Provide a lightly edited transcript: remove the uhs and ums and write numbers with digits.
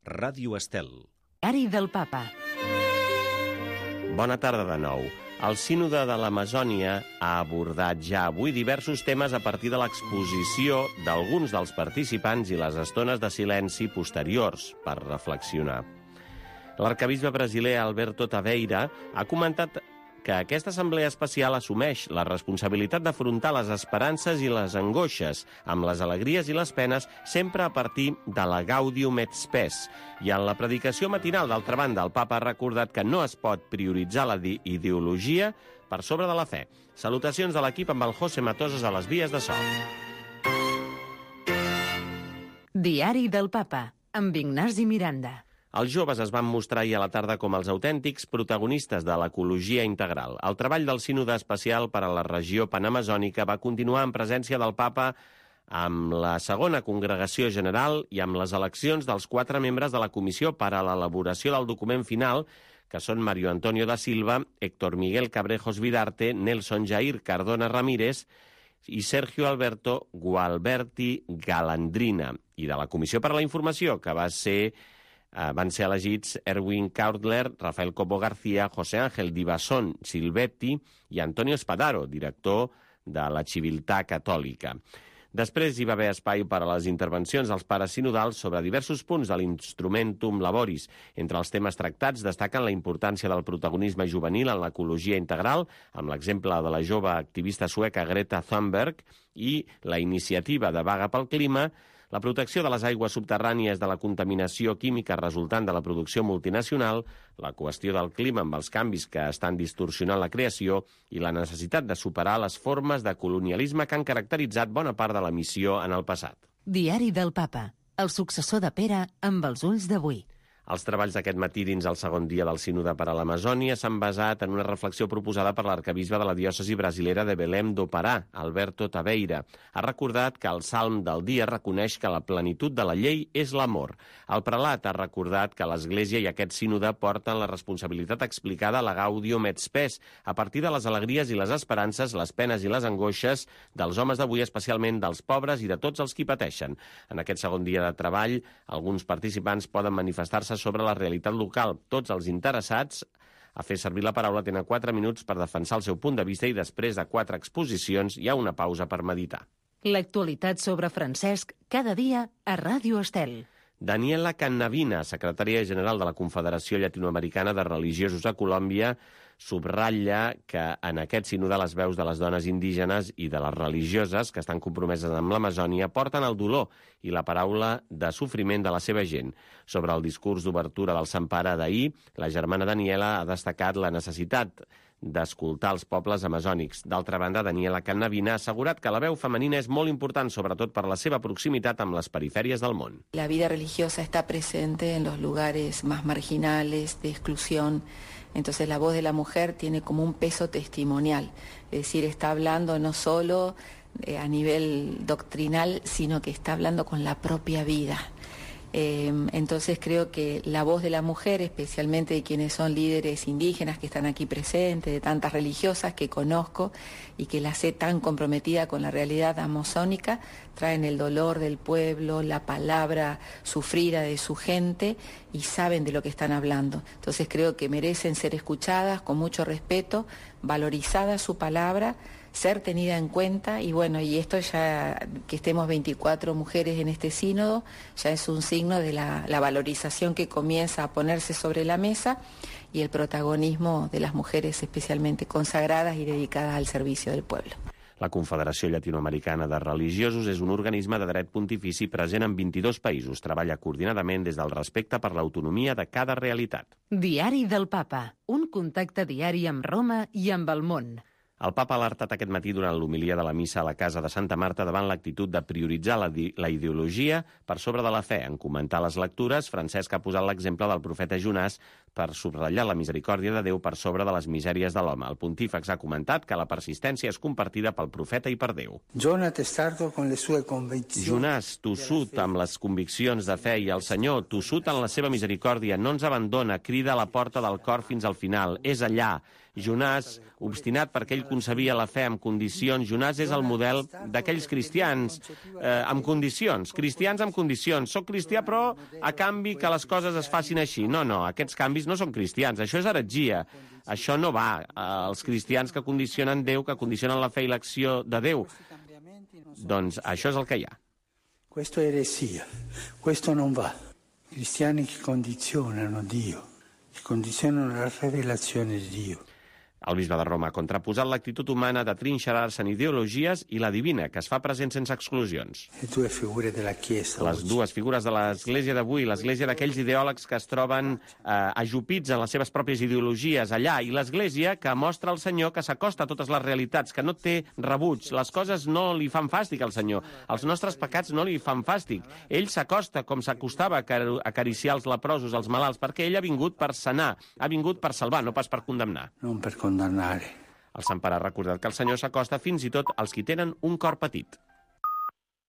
Ràdio Estel. Diari del Papa. Bona tarda de nou. El Sínode de l'Amazònia ha abordat ja avui diversos temes a partir de l'exposició d'alguns dels participants i les estones de silenci posteriors per reflexionar. L'arquebisbe brasiler Alberto Taveira ha comentat que aquesta assemblea especial assumeix la responsabilitat d'afrontar les esperances i les angoixes, amb les alegries i les penes, sempre a partir de la Gaudium et Spes. I en la predicació matinal, d'altra banda, el papa ha recordat que no es pot prioritzar la ideologia per sobre de la fe. Salutacions de l'equip amb el José Matosas a les vies de so. Diari del Papa, amb Ignasi Miranda. Els joves es van mostrar ahir a la tarda com els autèntics protagonistes de l'ecologia integral. El treball del Sínode Especial per a la regió panamazònica va continuar en presència del papa amb la segona congregació general i amb les eleccions dels 4 membres de la comissió per a l'elaboració del document final, que són Mario Antonio da Silva, Héctor Miguel Cabrejos Vidarte, Nelson Jair Cardona Ramírez i Sergio Alberto Gualberti Galandrina. I de la comissió per a la informació, que van ser elegits Erwin Kautler, Rafael Cobo García, José Ángel Divasson Silvetti i Antonio Spadaro, director de la Civiltà Catòlica. Després hi va haver espai per a les intervencions dels pares sinodals sobre diversos punts de l'Instrumentum Laboris. Entre els temes tractats destaquen la importància del protagonisme juvenil en l'ecologia integral, amb l'exemple de la jove activista sueca Greta Thunberg, i la iniciativa de Vaga pel Clima, la protecció de les aigües subterrànies de la contaminació química resultant de la producció multinacional, la qüestió del clima amb els canvis que estan distorsionant la creació i la necessitat de superar les formes de colonialisme que han caracteritzat bona part de la missió en el passat. Diari del Papa, el successor de Pere amb els ulls d'avui. Els treballs d'aquest matí dins el segon dia del Sínode per a l'Amazònia s'han basat en una reflexió proposada per l'arquebisbe de la diòcesi brasilera de Belém do Pará, Alberto Taveira. Ha recordat que el salm del dia reconeix que la plenitud de la llei és l'amor. El prelat ha recordat que l'Església i aquest Sínode porten la responsabilitat explicada a la Gaudium et Spes, a partir de les alegries i les esperances, les penes i les angoixes dels homes d'avui, especialment dels pobres i de tots els qui pateixen. En aquest segon dia de treball, alguns participants poden manifestar-se sobre la realitat local. Tots els interessats a fer servir la paraula tenen 4 minuts per defensar el seu punt de vista i després de 4 exposicions hi ha una pausa per meditar. L'actualitat sobre Francesc cada dia a Ràdio Estel. Daniela Cannavina, secretària general de la Confederació Llatinoamericana de Religiosos a Colòmbia, subratlla que en aquest sínode les veus de les dones indígenes i de les religioses que estan compromeses amb l'Amazònia porten el dolor i la paraula de sofriment de la seva gent. Sobre el discurs d'obertura del Sant Pare d'ahir, la germana Daniela ha destacat la necessitat d'escoltar els pobles amazònics. D'altra banda, Daniela Cannavina ha assegurat que la veu femenina és molt important, sobretot per la seva proximitat amb les perifèries del món. La vida religiosa está presente en los lugares más marginales, de exclusión. Entonces la voz de la mujer tiene como un peso testimonial, es decir, está hablando no solo a nivel doctrinal, sino que está hablando con la propia vida. Entonces creo que la voz de la mujer, especialmente de quienes son líderes indígenas que están aquí presentes, de tantas religiosas que conozco y que las sé tan comprometida con la realidad amazónica, traen el dolor del pueblo, la palabra sufrida de su gente y saben de lo que están hablando. Entonces creo que merecen ser escuchadas con mucho respeto, valorizada su palabra, ser tenida en cuenta y bueno, y esto ya que estemos 24 mujeres en este sínodo ya es un signo de la valorización que comienza a ponerse sobre la mesa y el protagonismo de las mujeres especialmente consagradas y dedicadas al servicio del pueblo. La Confederació Llatinoamericana de Religiosos és un organisme de dret pontifici present en 22 països. Treballa coordinadament des del respecte per l'autonomia de cada realitat. Diari del Papa, un contacte diari amb Roma i amb el món. El papa ha alertat aquest matí durant l'homilia de la missa a la Casa de Santa Marta davant l'actitud de prioritzar la ideologia per sobre de la fe. En comentar les lectures, Francesc ha posat l'exemple del profeta Jonàs per subratllar la misericòrdia de Déu per sobre de les misèries de l'home. El pontífex ha comentat que la persistència és compartida pel profeta i per Déu. Jonàs, tossut amb les conviccions de fe, i el Senyor, tossut en la seva misericòrdia, no ens abandona, crida a la porta del cor fins al final. És allà. Jonàs, obstinat perquè ell concebia la fe amb condicions. Jonàs és el model d'aquells cristians amb condicions. Cristians amb condicions. Soc cristià, però a canvi que les coses es facin així. No, aquests canvis no són cristians. Això és heretgia. Això no va. Els cristians que condicionen Déu, que condicionen la fe i l'acció de Déu. Doncs això és el que hi ha. Questo è eresia. Questo non va. Cristiani che condizionano Dio, che condizionano la rivelazione di Dio. El bisbe de Roma ha contraposat l'actitud humana de trinxerar-se en ideologies i la divina, que es fa present sense exclusions. Les dues figures de l'Església d'avui, l'Església d'aquells ideòlegs que es troben ajupits en les seves pròpies ideologies allà, i l'Església que mostra al Senyor que s'acosta a totes les realitats, que no té rebuig. Les coses no li fan fàstic al Senyor. Els nostres pecats no li fan fàstic. Ell s'acosta com s'acostava a acariciar els leprosos, els malalts, perquè ell ha vingut per sanar, ha vingut per salvar, no pas per condemnar. Non per condannare. El Sant Pare ha recordat que el Senyor s'acosta fins i tot als qui tenen un cor petit.